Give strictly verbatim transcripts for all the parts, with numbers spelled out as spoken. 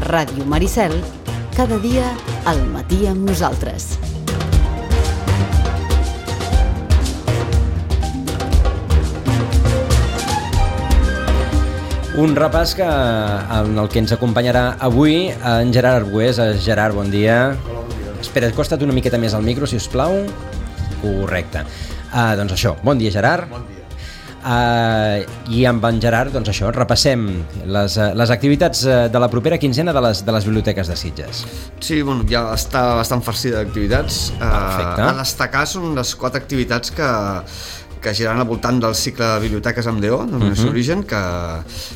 Ràdio Maricel, cada dia al matí amb nosaltres. Un repàs que, en el que ens acompanyarà avui en Gerard Arbués. Gerard, bon dia. Hola, bon dia. Espera, acosta't una miqueta més al micro, si us plau. Correcte. Uh, doncs això, bon dia, Gerard. Bon dia. Uh, I amb en Gerard, doncs això, repassem les, les activitats de la propera quinzena de les, de les biblioteques de Sitges. Sí, bueno, ja està bastant farcida d'activitats. Perfecte. Uh, a destacar són les quatre activitats que, que giran al voltant del cicle de Biblioteques amb D O, del uh-huh. seu origen, que,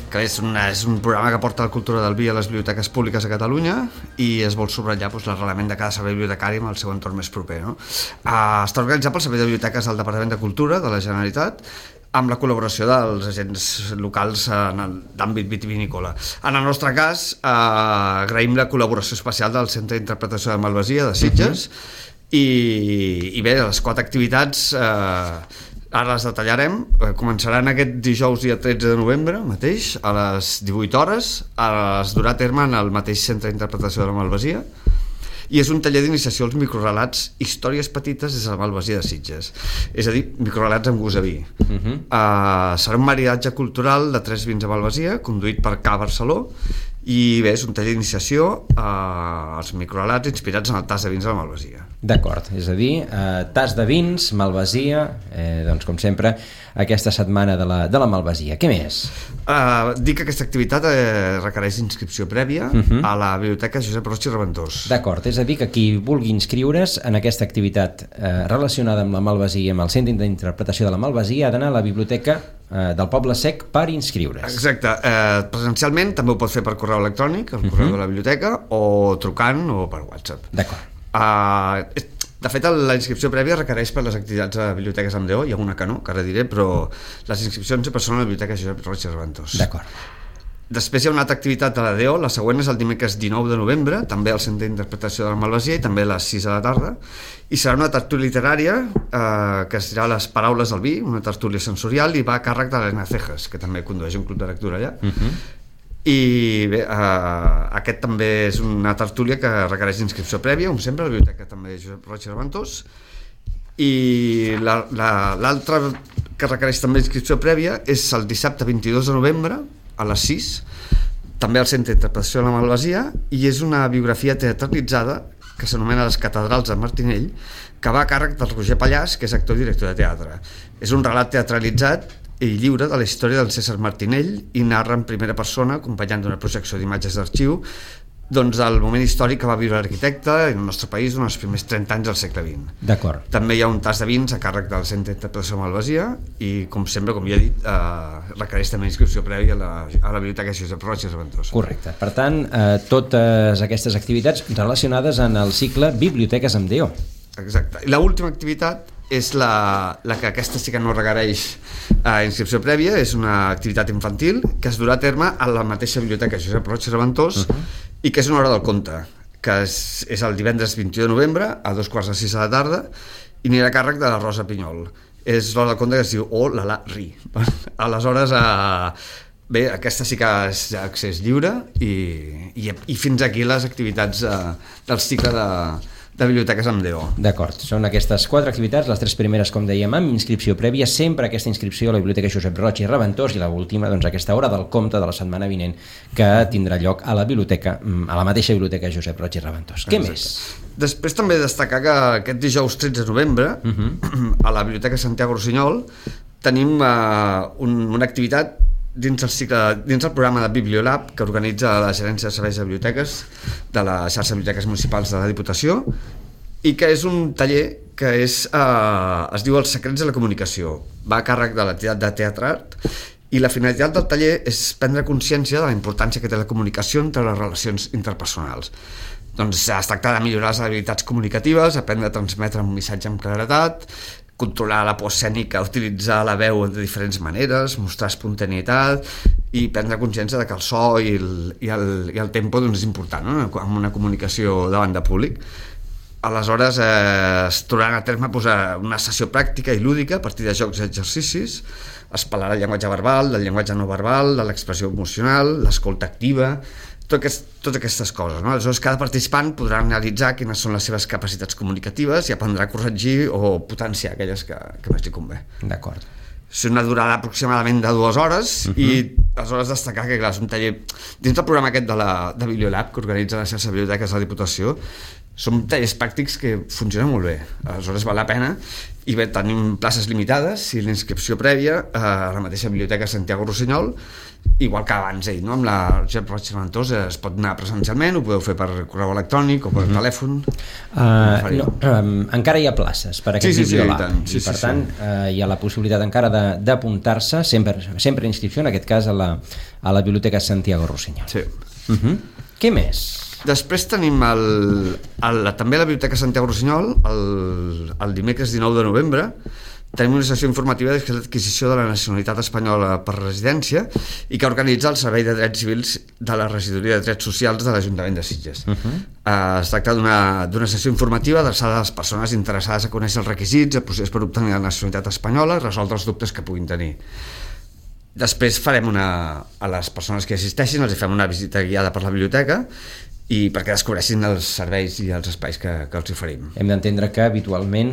que és, una, és un programa que porta la cultura del vi a les biblioteques públiques a Catalunya i es vol subratllar doncs, l'arrelament de cada servei bibliotecari amb el seu entorn més proper. No? Uh, està organitzat pel Servei de Biblioteques del Departament de Cultura de la Generalitat, amb la col·laboració dels agents locals en l'àmbit vitivinícola. En el nostre cas, eh, agraïm la col·laboració especial del Centre d'Interpretació de Malvasia de Sitges, uh-huh. i, i bé, les quatre activitats eh, ara les detallarem. Eh, començaran aquest dijous dia tretze de novembre mateix, a les divuit hores, es durà a terme en el mateix Centre d'Interpretació de la Malvasia, i és un taller d'iniciació als microrelats, històries petites des de la Malvasia de Sitges, és a dir, microrelats amb gust a vi. Uh-huh. uh, serà un maridatge cultural de tres vins a Malvasia, conduït per Ca Barceló, i bé, és un taller d'iniciació uh, als microrelats inspirats en el tas de vins de la Malvasia. D'acord, és a dir, uh, tas de vins, Malvasia, eh, doncs com sempre aquesta setmana de la, de la Malvasia. Què més? Uh, dic que aquesta activitat eh, requereix inscripció prèvia uh-huh. a la Biblioteca Josep Roig i Reventós. D'acord, és a dir que qui vulgui inscriure's en aquesta activitat eh, relacionada amb la Malvasia, amb el Centre d'Interpretació de la Malvasia, ha d'anar a la Biblioteca eh, del Poble Sec per inscriure's. Exacte, eh, presencialment també ho pot fer per correu electrònic, al correu uh-huh. de la biblioteca, o trucant o per WhatsApp. D'acord. Uh, de fet, la inscripció prèvia requereix per les activitats de biblioteques amb D O, hi ha una que no, que ara diré, però les inscripcions sempre són a la Biblioteca Josep Roig i Reventós. D'acord. Després hi ha una altra activitat de la D O, la següent és el dimecres dinou de novembre, també al Centre d'Interpretació de la Malvasia, i també a les sis de la tarda, i serà una tertúlia literària eh, que es dirà Les paraules del vi, una tertúlia sensorial, i va a càrrec de l'Elena Cejas, que també condueix un club de lectura allà. Uh-huh. I bé, eh, aquest també és una tertúlia que requereix inscripció prèvia, com sempre, a la Biblioteca també Josep Roig i Reventós, i la, la, l'altra que requereix també inscripció prèvia és el dissabte vint-i-dos de novembre, a les sis, també al Centre d'Interpretació de la Malvasia, i és una biografia teatralitzada que s'anomena Les catedrals de Martinell, que va a càrrec del Roger Pallàs, que és actor i director de teatre. És un relat teatralitzat i lliure de la història del César Martinell i narra en primera persona, acompanyant d'una projecció d'imatges d'arxiu, doncs el moment històric que va viure l'arquitecte en el nostre país en els primers trenta anys del segle vint. D'acord. També hi ha un tas de vins a càrrec del Centre d'Interpretació de Malvasia i, com sempre, com ja he dit, eh, requereix també inscripció prèvia a la, a la Biblioteca Josep Roig i Reventós. Correcte. Per tant, eh, totes aquestes activitats relacionades en el cicle Biblioteques amb D O. Exacte. I l'última activitat és la, la que aquesta sí que no requereix eh, inscripció prèvia, és una activitat infantil que es durà a terme a la mateixa Biblioteca Josep Roig i Reventós, uh-huh. i que és una hora del conte, que és, és el divendres vint-i-u de novembre a dos quarts de sis de la tarda, i anirà a càrrec de la Rosa Pinyol. És l'hora del conte que es diu O la la ri. Aleshores, eh, bé, aquesta sí que és accés lliure, i, i, i fins aquí les activitats eh, del cicle de de biblioteques amb D O. D'acord, són aquestes quatre activitats, les tres primeres, com dèiem, amb inscripció prèvia, sempre aquesta inscripció a la Biblioteca Josep Roig i Reventós, i l'última, doncs, aquesta hora del compte de la setmana vinent, que tindrà lloc a la biblioteca, a la mateixa Biblioteca Josep Roig i Reventós. Què Exacte. més? Després també destacar que aquest dijous tretze de novembre, uh-huh. a la Biblioteca Santiago Rossinyol, tenim uh, un, una activitat dins el, cicle, dins el programa de Bibliolab que organitza la Gerència de Serveis de Biblioteques de la xarxa de biblioteques municipals de la Diputació, i que és un taller que és, eh, es diu Els secrets de la comunicació. Va a càrrec de l'entitat de Teatre Art, i la finalitat del taller és prendre consciència de la importància que té la comunicació entre les relacions interpersonals. Doncs es tracta de millorar les habilitats comunicatives, aprendre a transmetre un missatge amb claredat, controlar la por escènica, utilitzar la veu de diferents maneres, mostrar espontaneïtat i prendre consciència de que el so i el, i el, i el tempo doncs, és important, no? En una comunicació davant de públic. Aleshores eh, es trobaran a terme pues, una sessió pràctica i lúdica a partir de jocs i exercicis. Es parlarà del llenguatge verbal, del llenguatge no verbal, de l'expressió emocional, l'escolta activa, tot aquest, totes aquestes coses, no? Aleshores, cada participant podrà analitzar quines són les seves capacitats comunicatives i aprendrà a corregir o potenciar aquelles que, que més li convé. D'acord. És una durada aproximadament de dues hores uh -huh. i aleshores destacar que clar, és un taller dins del programa aquest de, la, de Bibliolab que organitza la xarxa de biblioteques de la Diputació. Són tallers pràctics que funcionen molt bé, aleshores val la pena. I bé, tenim places limitades i l'inscripció prèvia a la mateixa biblioteca Santiago Rossinyol, igual que abans ell, no? Amb la Josep Roig i Reventós es pot anar presencialment, ho podeu fer per correu electrònic o per uh-huh. telèfon. Uh, no, um, encara hi ha places per aquest sí, sí, Bibliolab, sí, i, tant. Sí, i per sí, tant sí. uh, hi ha la possibilitat encara d'apuntar-se, sempre, sempre inscripció, en aquest cas a la, a la Biblioteca Santiago Rossinyol. Sí. Uh-huh. Què més? Després tenim el, el, també a la Biblioteca Santiago Rossinyol el, el dimecres dinou de novembre tenim una sessió informativa de l'adquisició de la nacionalitat espanyola per residència i que organitza el Servei de Drets Civils de la Regidoria de Drets Socials de l'Ajuntament de Sitges. Uh-huh. uh, es tracta d'una sessió informativa adreçada a les persones interessades a conèixer els requisits, el procés per obtenir la nacionalitat espanyola i resoldre els dubtes que puguin tenir. Després farem una, a les persones que assisteixin els fem una visita guiada per la biblioteca i perquè descobreixin els serveis i els espais que, que els oferim. Hem d'entendre que habitualment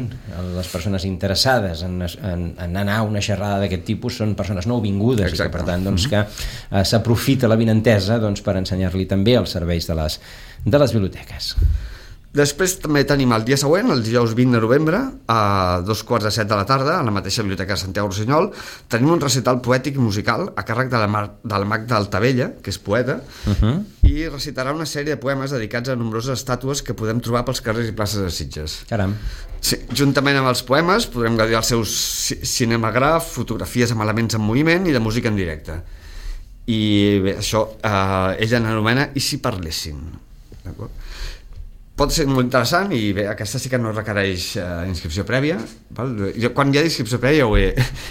les persones interessades en, en, en anar a una xerrada d'aquest tipus són persones nouvingudes. Exacte. I que per tant doncs, que uh, s'aprofita l'avinentesa doncs, per ensenyar-li també els serveis de les, de les biblioteques. Després també tenim el dia següent, el dijous vint de novembre, a dos quarts de set de la tarda, a la mateixa biblioteca de Santiago Rossinyol, tenim un recital poètic i musical a càrrec de la, Mar de la Magda Altavella, que és poeta, uh-huh. i recitarà una sèrie de poemes dedicats a nombroses estàtues que podem trobar pels carrers i places de Sitges. Caram. Sí, juntament amb els poemes podrem gaudir els seus cinemagraf, fotografies amb elements en moviment i de música en directe. I bé, això eh, ella n'anomena I si parlessin. D'acord? Pot ser molt interessant i bé, aquesta sí que no requereix uh, inscripció prèvia, val? Jo, quan hi ha inscripció prèvia ja ho, he,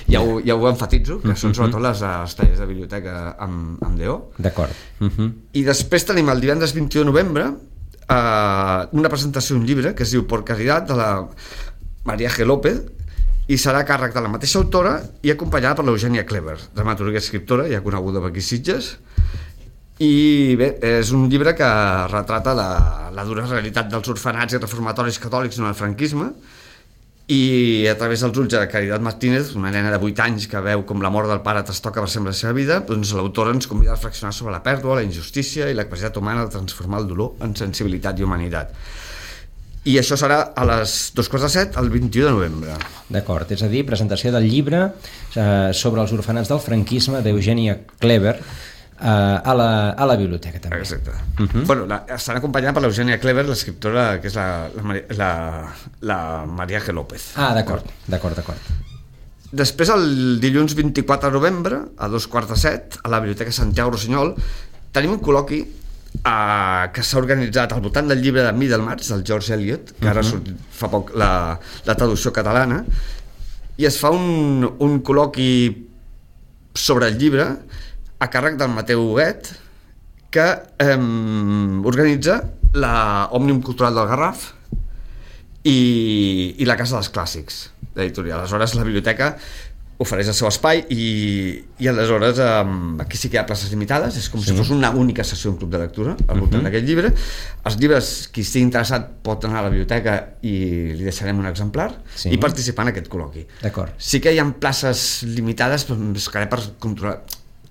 ja ho, ja ho enfatitzo, que són sobretot les, les tallers de biblioteca amb, amb D O. D'acord. Uh-huh. I després tenim el divendres vint-i-u de novembre uh, una presentació d'un llibre que es diu Por Caridad, de la María G. López, i serà a càrrec de la mateixa autora i acompanyada per l'Eugènia Clever, dramaturga i escriptora, ja coneguda per aquí Sitges. I bé, és un llibre que retrata la, la dura realitat dels orfenats i reformatoris catòlics durant el franquisme i a través dels ulls de Caridad Martínez, una nena de vuit anys que veu com la mort del pare trastoca per sempre la seva vida, doncs l'autora ens convida a reflexionar sobre la pèrdua, la injustícia i la capacitat humana de transformar el dolor en sensibilitat i humanitat. I això serà a les dos quarts de set, el vint-i-u de novembre. D'acord, és a dir, presentació del llibre eh, sobre els orfenats del franquisme d'Eugènia Clever, Uh, a, la, a la biblioteca també. Exacte. Uh-huh. Bueno, la, estan acompanyada per l'Eugènia Clever, l'escriptora que és la, la, la, la María G. López. Ah, d'acord, d'acord, d'acord. Després, el dilluns vint-i-quatre de novembre, a dos quarts de set, a la Biblioteca Santiago Rossinyol, tenim un col·loqui uh, que s'ha organitzat al voltant del llibre de Middlemarch, del George Eliot, que ara uh-huh. surt fa poc la, la traducció catalana, i es fa un, un col·loqui sobre el llibre a càrrec del Mateu Huguet, que eh, organitza la Òmnium Cultural del Garraf i, i la Casa dels Clàssics d'editorial. Aleshores la biblioteca ofereix el seu espai i, i aleshores eh, aquí sí que hi ha places limitades, és com sí. si fos una única sessió en club de lectura al voltant uh-huh. d'aquest llibre. Els llibres, qui estigui interessat pot anar a la biblioteca i li deixarem un exemplar sí. i participar en aquest col·loqui. D'acord. Sí que hi ha places limitades, però buscaré per controlar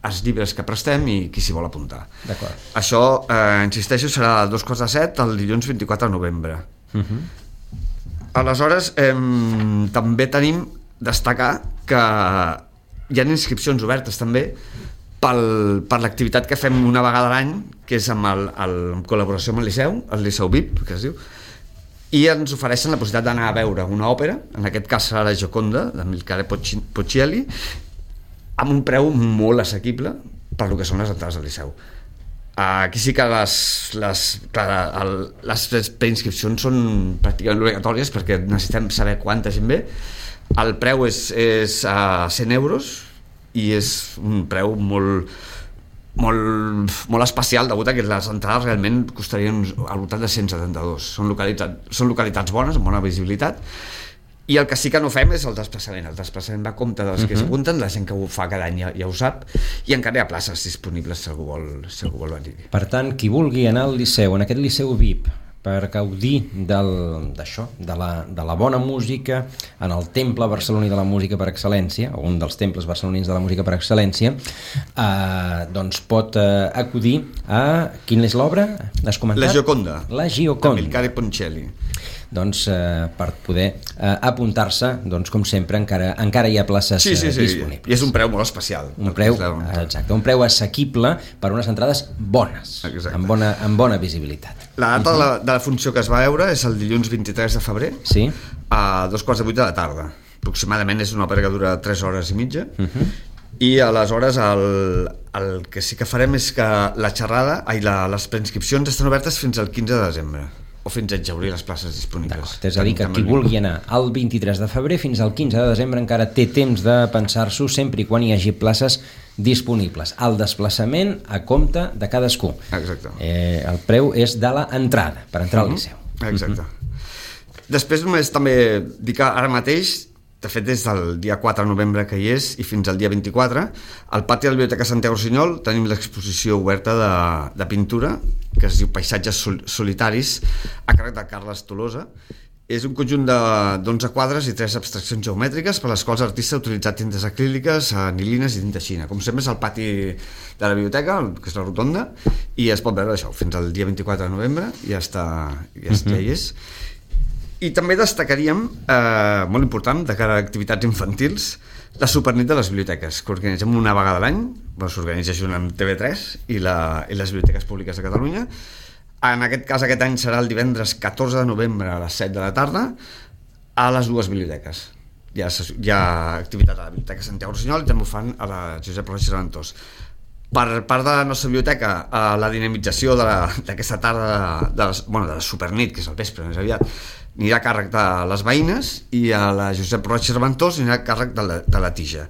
els llibres que prestem i qui s'hi vol apuntar. D'acord. Això, eh, insisteixo, serà a dos quarts de set el dilluns vint-i-quatre de novembre. Uh-huh. Aleshores, eh, també tenim destacar que hi ha inscripcions obertes també pel, per l'activitat que fem una vegada a l'any, que és amb el, el, en col·laboració amb el Liceu, el Liceu V I P, que es diu, i ens ofereixen la possibilitat d'anar a veure una òpera, en aquest cas serà la Gioconda, de Milcare Poccielli, amb un preu molt assequible per lo que són les entrades del Liceu. Aquí sí que les, les, clar, el, les preinscripcions són pràcticament obligatòries perquè necessitem saber quanta gent ve. El preu és, és a cent euros i és un preu molt, molt, molt especial, degut a que les entrades realment costarien al voltant de cent setanta-dos. Són localitats, són localitats bones, amb bona visibilitat, I el que sí que no fem és el desplaçament. El desplaçament va a compte dels que uh-huh. s'apunten, la gent que ho fa cada any ja, ja ho sap, i encara hi ha places disponibles si algú vol, si algú vol venir. Per tant, qui vulgui anar al Liceu, en aquest Liceu V I P, per gaudir d'això, de, la, de la bona música, en el temple barceloní de la música per excel·lència, o un dels temples barcelonins de la música per excel·lència, eh, doncs pot eh, acudir a... Quina és l'obra? Has comentat? La Gioconda. La Gioconda. Amilcare Ponchielli. Doncs eh, per poder eh, apuntar-se, doncs com sempre encara, encara hi ha places sí, sí, sí. disponibles. I és un preu molt especial. Un preu, exacte, un preu assequible per unes entrades bones, amb bona, amb bona visibilitat. La data uh-huh. de, la, de la funció que es va veure és el dilluns vint-i-tres de febrer, sí. a dos quarts de vuit de la tarda. Aproximadament és una òpera que dura tres hores i mitja, uh-huh. i aleshores el, el que sí que farem és que la xerrada i la, les preinscripcions estan obertes fins al quinze de desembre, o fins a exhaurir les places disponibles. És a dir, que qui vulgui anar al vint-i-tres de febrer fins al quinze de desembre encara té temps de pensar-s'ho, sempre i quan hi hagi places disponibles. El desplaçament a compte de cadascú. Exacte. Eh, el preu és de l'entrada, per entrar al Liceu. Exacte. Uh-huh. Després només també dir que ara mateix, de fet des del dia quatre de novembre que hi és i fins al dia vint-i-quatre, al pati de la Biblioteca Santiago Rusiñol tenim l'exposició oberta de, de pintura que es diu Paisatges sol, solitaris, a càrrec de Carles Tolosa. És un conjunt d'onze quadres i tres abstraccions geomètriques per les quals l'artista ha utilitzat tintes acríliques, anilines i tinta xina. Com sempre és al pati de la biblioteca, que és la rotonda, i es pot veure això fins al dia vint-i-quatre de novembre, ja està, ja, uh-huh. ja hi és. I també destacaríem, eh, molt important, de cara a activitats infantils, la Supernit de les biblioteques, que organitzem una vegada a l'any, bueno, s'organitza junt amb T V tres i, la, i les biblioteques públiques de Catalunya. En aquest cas, aquest any serà el divendres catorze de novembre a les set de la tarda a les dues biblioteques. Hi ha, hi ha activitat a la Biblioteca Santiago Rusiñol i també ho fan a la Josep Roig i Reventós. Per part de la nostra biblioteca, la dinamització d'aquesta tarda de, de, les, bueno, de la Supernit, que és el vespre més aviat, anirà a càrrec de les veïnes, i a la Josep Roig i Reventós anirà a càrrec de la, de la tija.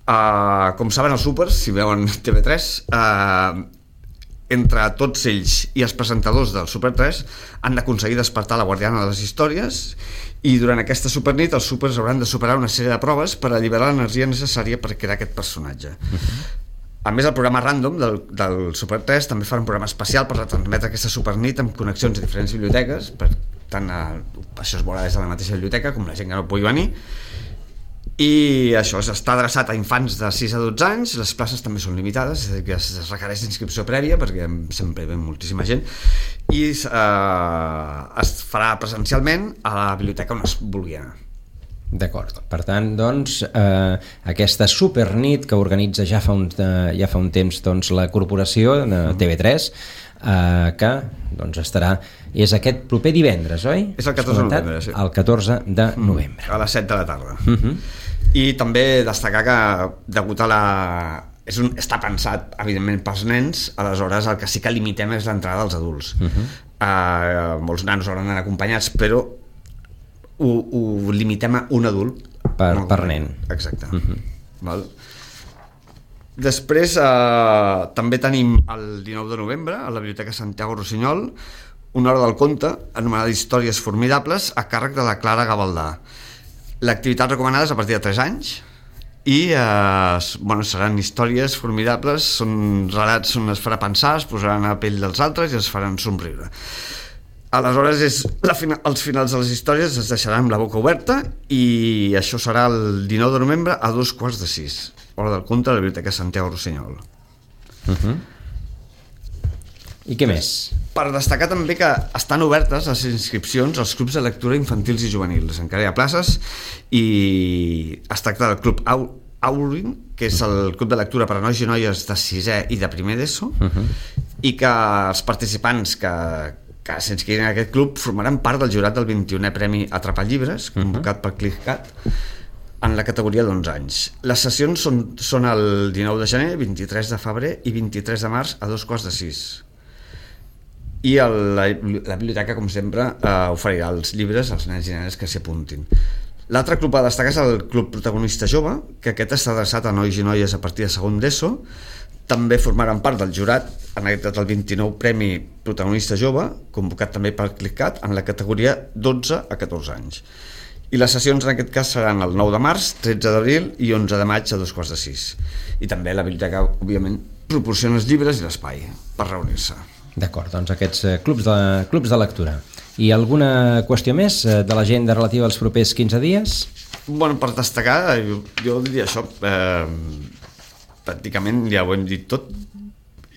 Uh, com saben els súpers, si veuen T V tres, uh, entre tots ells i els presentadors del Super tres han d'aconseguir despertar la guardiana de les històries, i durant aquesta Supernit els súpers hauran de superar una sèrie de proves per alliberar l'energia necessària per crear aquest personatge. Uh-huh. A més, el programa Random del, del Super tres també fa un programa especial per retransmetre aquesta Supernit amb connexions a diferents biblioteques, per tant, això es veurà des de la mateixa biblioteca com la gent que no pugui venir, i això està adreçat a infants de sis a dotze anys. Les places també són limitades, és a dir, que es requereix d'inscripció prèvia perquè sempre hi ve moltíssima gent, i eh, es farà presencialment a la biblioteca on es vulgui anar. D'acord, per tant, doncs, eh, aquesta supernit que organitza ja fa un, eh, ja fa un temps doncs, la corporació de T V tres, eh, que doncs, estarà, és aquest proper divendres, oi? És el catorze de novembre, sí. El catorze de novembre. A les set de la tarda. Uh-huh. I també destacar que degut a la... És un, està pensat, evidentment, pels nens, aleshores el que sí que limitem és l'entrada dels adults. Uh-huh. eh, molts nanos hauran d'anar acompanyats, però ho, ho limitem a un adult per, per nen. Exacte. Uh-huh. Val? Després eh, també tenim el dinou de novembre a la Biblioteca Santiago Rusiñol una hora del conte anomenada Històries formidables a càrrec de la Clara Gavaldà. L'activitat recomanada és a partir de tres anys i eh, bueno, seran històries formidables, són relats on es farà pensar, es posaran a la pell dels altres i es faran somriure. Aleshores és la fina, els finals de les històries es deixaran amb la boca oberta, i això serà el dinou de novembre a dos quarts de sis, hora del conte a la Biblioteca Santiago Rusiñol. Uh-huh. I què més? Per destacar també que estan obertes les inscripcions als clubs de lectura infantils i juvenils. Encara hi ha places, i es tracta del Club Aurin, que és el club de lectura per a nois i noies de sisè i de primer d'ESO, uh-huh. i que els participants que que s'inscriguin en aquest club formaran part del jurat del vint-i-unè Premi Atrapar Llibres, convocat uh-huh. per ClickCat, en la categoria d'onze anys. Les sessions són, són el dinou de gener, vint-i-tres de febrer i vint-i-tres de març a dos quarts de sis. I el, la, la biblioteca, com sempre, eh, oferirà els llibres als nens i nenes que s'hi apuntin. L'altre club a destacar és el Club Protagonista Jove, que aquest està adreçat a nois i noies a partir de segon d'ESO. També formaran part del jurat, en aquest cas el vint-i-nou Premi Protagonista Jove, convocat també per ClickCat, en la categoria dotze a catorze anys. I les sessions en aquest cas seran el nou de març, tretze d'abril i onze de maig a dos quarts de sis. I també la biblioteca, òbviament, proporciona els llibres i l'espai per reunir-se. D'acord, doncs aquests eh, clubs, de, clubs de lectura. I alguna qüestió més eh, de l'agenda relativa als propers quinze dies? Bueno, per destacar, jo, jo diria això, eh, pràcticament ja ho hem dit tot,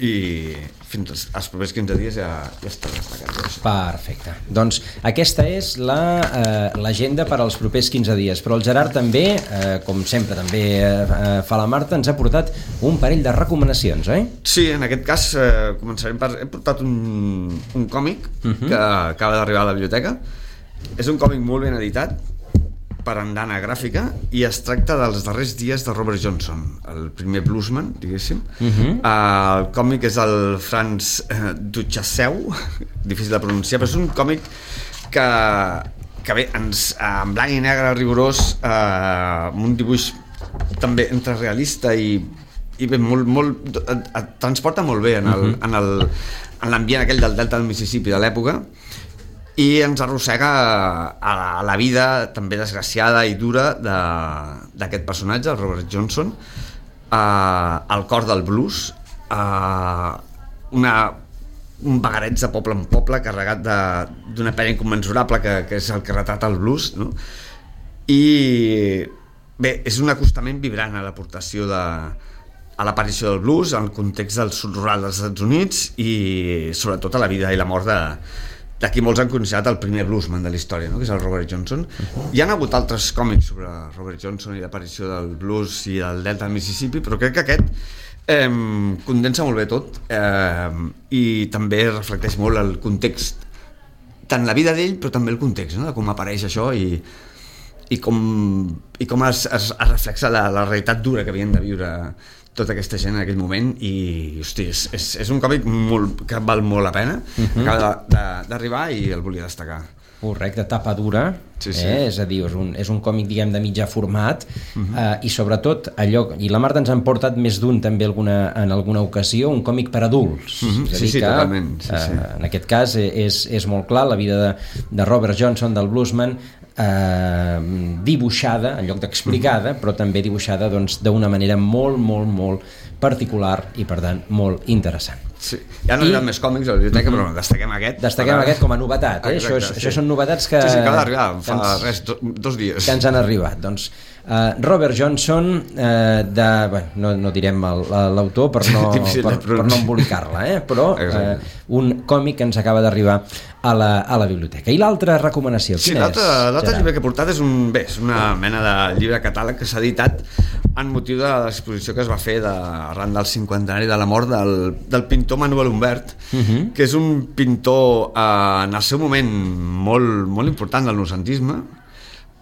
i fins als propers quinze dies ja, ja està destacat. Perfecte. Doncs aquesta és l'agenda la, eh, per als propers quinze dies, però el Gerard també, eh, com sempre també eh, fa la Marta, ens ha portat un parell de recomanacions, oi? Sí, en aquest cas eh, començarem per... He portat un, un còmic uh-huh. que acaba d'arribar a la biblioteca. És un còmic molt ben editat per Andana Gràfica i es tracta dels darrers dies de Robert Johnson, el primer bluesman, diguéssim. Uh-huh. uh, el còmic és el Franz uh, Duchasseu, difícil de pronunciar, però és un còmic que, que bé, ens, uh, en blanc i negre rigorós, uh, amb un dibuix també entre realista i, i bé, molt, molt, et, et transporta molt bé en el, uh-huh. en el, en l'ambient aquell del delta del Mississippi de l'època, i ens arrossega a la, a la vida també desgraciada i dura d'aquest personatge, el Robert Johnson, uh, al cor del blues, uh, una, un vagareig de poble en poble carregat d'una pena incommensurable que, que és el que retrata el blues, no? I bé, és un acostament vibrant a l'aportació de a l'aparició del blues, al context del sud rural dels Estats Units i sobretot a la vida i la mort de d'aquí molts han considerat el primer bluesman de la història, no? Que és el Robert Johnson. Hi ha hagut altres còmics sobre Robert Johnson i l'aparició del blues i del delta del Mississippi, però crec que aquest eh, condensa molt bé tot eh, i també reflecteix molt el context, tant la vida d'ell però també el context, no? De com apareix això i, i com, i com es, es, es reflexa la, la realitat dura que havien de viure tota aquesta gent en aquell moment i hosti, és, és, és un còmic molt, que val molt la pena, uh-huh. acaba d'arribar i el volia destacar. Correcte, tapa dura, sí, sí. Eh? És a dir, és un, és un còmic diguem de mitjà format uh-huh. eh, i sobretot allò, i la Marta ens han portat més d'un també alguna, en alguna ocasió, un còmic per adults, uh-huh. és a sí, dir sí, que totalment. Sí, sí. Eh, en aquest cas és, és molt clar la vida de, de Robert Johnson, del bluesman, eh, dibuixada en lloc d'explicada, però també dibuixada doncs, d'una manera molt, molt, molt particular i per tant molt interessant. Sí. Ja no hi ha més còmics a la biblioteca, mm-hmm. però destaquem aquest. Destaquem per... aquest com a novetat, eh? Exacte, això, és, sí. això són novetats que... Sí, sí, acaba d'arribar, fa ens, res, do, dos dies. Que ens han arribat. Doncs uh, Robert Johnson, uh, de, bé, no, no direm l'autor per no, per, per no embolicar-la, eh? Però uh, un còmic que ens acaba d'arribar a la, a la biblioteca. I l'altra recomanació, sí, quina és? L'altre llibre que he portat és, un, bé, és una mena de llibre catàleg que s'ha editat en motiu de l'exposició que es va fer de, arran del cinquantenari de la mort del, del pintor Manuel Humbert, uh-huh. que és un pintor eh, en el seu moment molt, molt important del noucentisme,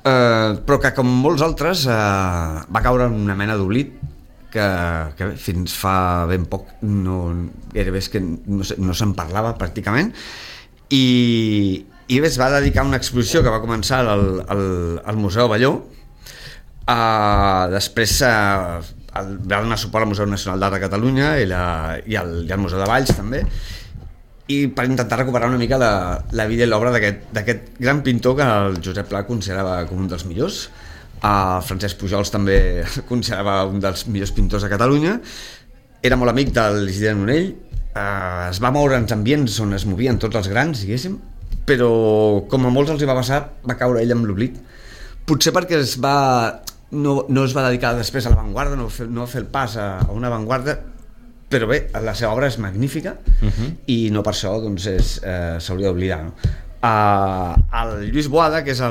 eh, però que com molts altres eh, va caure en una mena d'oblit que, que bé, fins fa ben poc no, gairebé és que no, no se'n parlava pràcticament i, i bé, es va dedicar a una exposició que va començar al, al, al Museu Balló. Uh, després uh, el, va donar suport al Museu Nacional d'Art de Catalunya i, la, i, el, i el Museu de Valls també, i per intentar recuperar una mica la, la vida i l'obra d'aquest gran pintor que el Josep Pla considerava com un dels millors. uh, Francesc Pujols també considerava un dels millors pintors de Catalunya. Era molt amic de l'Isidre Nonell, uh, es va moure en ambients on es movien tots els grans, diguéssim, però com a molts els hi va passar, va caure ell amb l'oblit, potser perquè es va No, no es va dedicar després a l'avantguarda, no, no va fer el pas a, a una avantguarda, però bé, la seva obra és magnífica uh-huh. i no per això doncs, eh, s'hauria d'oblidar, no? Uh, el Lluís Boada, que és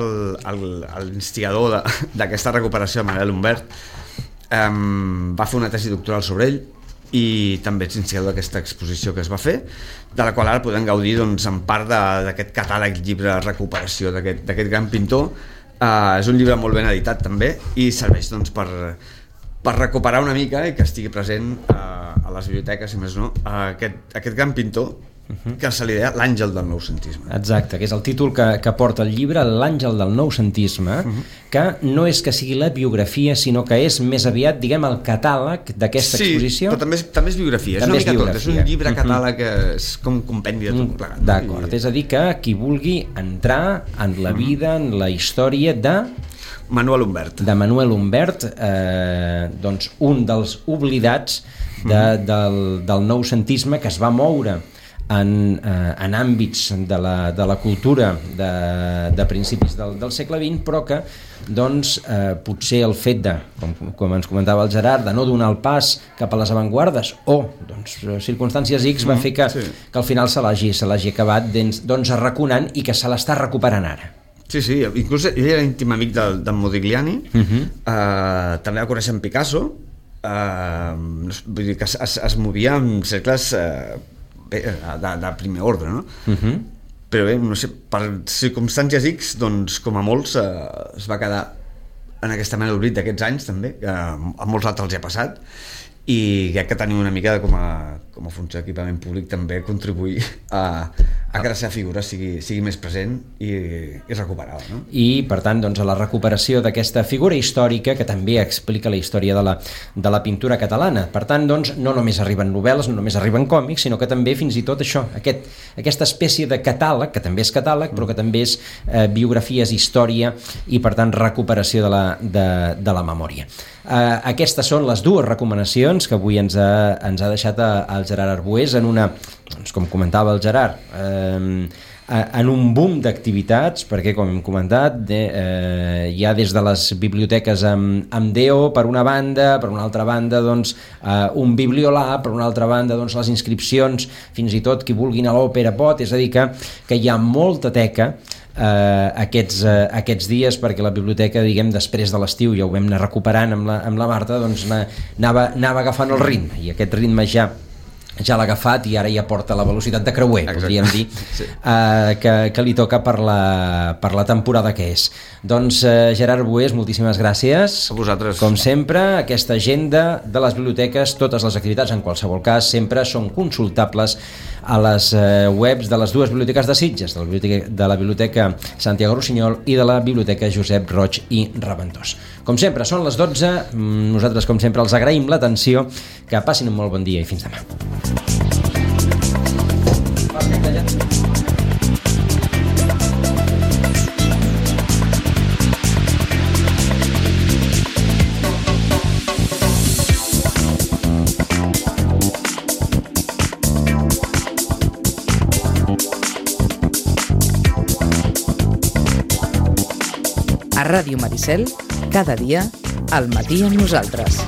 l'instigador d'aquesta recuperació de Manuel Humbert, um, va fer una tesi doctoral sobre ell i també és instigador d'aquesta exposició que es va fer, de la qual ara podem gaudir doncs, en part d'aquest catàleg llibre recuperació d'aquest gran pintor. Uh, és un llibre molt ben editat també i serveix doncs, per, per recuperar una mica i que estigui present uh, a les biblioteques, si més no, uh, aquest, aquest gran pintor uh-huh. que se li deia l'àngel del noucentisme. Exacte, que és el títol que, que porta el llibre, l'àngel del noucentisme, uh-huh. que no és que sigui la biografia, sinó que és més aviat, diguem, el catàleg d'aquesta sí, exposició. Sí, però també és, també és biografia, també és una mica biografia. tot, és un llibre catàleg que és com un compendi de tot plegat. D'acord, I... és a dir que qui vulgui entrar en la vida, en la història de... Manuel Humbert. De Manuel Humbert, eh, doncs un dels oblidats de, del, del noucentisme que es va moure en, eh, en àmbits de la, de la cultura de, de principis del, del segle vint, però que doncs, eh, potser el fet de, com, com ens comentava el Gerard, de no donar el pas cap a les avantguardes o doncs, circumstàncies X va fer que, sí. que al final se l'hagi se l'hagi acabat doncs, doncs arraconant i que se l'està recuperant ara. Sí, sí, inclús ell era íntim amic del, del Modigliani, uh-huh. eh, també va conèixer en Picasso, eh, vull dir que es, es, es movia en cercles eh, de, de primer ordre, no? Uh-huh. Però bé, no sé, per circumstàncies X, doncs com a molts eh, es va quedar en aquesta mena d'oblit d'aquests anys també, que a molts altres els hi ha passat, i crec que tenim una mica de, com a, com a funció d'equipament públic també contribuir a, a que la seva figura sigui, sigui més present i, i recuperada, no? I per tant doncs, a la recuperació d'aquesta figura històrica que també explica la història de la, de la pintura catalana. Per tant doncs, no només arriben novel·les, no només arriben còmics, sinó que també fins i tot això, aquest, aquesta espècie de catàleg, que també és catàleg però que també és eh, biografies, història i per tant recuperació de la, de, de la memòria. Eh, aquestes són les dues recomanacions que avui ens ha, ens ha deixat el Gerard Arbués en una, doncs, com comentava el Gerard, eh, en un boom d'activitats, perquè com hem comentat de, eh, hi ha des de les biblioteques amb, amb Déu per una banda, per una altra banda doncs, eh, un bibliolab, per una altra banda doncs, les inscripcions, fins i tot qui vulgui anar a l'òpera pot, és a dir que, que hi ha molta teca Uh, aquests, uh, aquests dies, perquè la biblioteca, diguem, després de l'estiu ja ho vam anar recuperant amb la, amb la Marta, doncs anava, anava agafant el ritme, i aquest ritme ja ja l'ha agafat i ara ja porta la velocitat de creuer, exacte. Podríem dir, sí. uh, que, que li toca per la, per la temporada que és. Doncs uh, Gerard Arbués, moltíssimes gràcies. A vosaltres. Com sempre, aquesta agenda de les biblioteques, totes les activitats, en qualsevol cas, sempre són consultables a les uh, webs de les dues biblioteques de Sitges, de la biblioteca, de la biblioteca Santiago Rossinyol i de la biblioteca Josep Roig i Raventós. Com sempre, són les dotze, nosaltres com sempre els agraïm l'atenció, que passin un molt bon dia i fins demà. A Ràdio Maricel, cada dia, al matí amb nosaltres.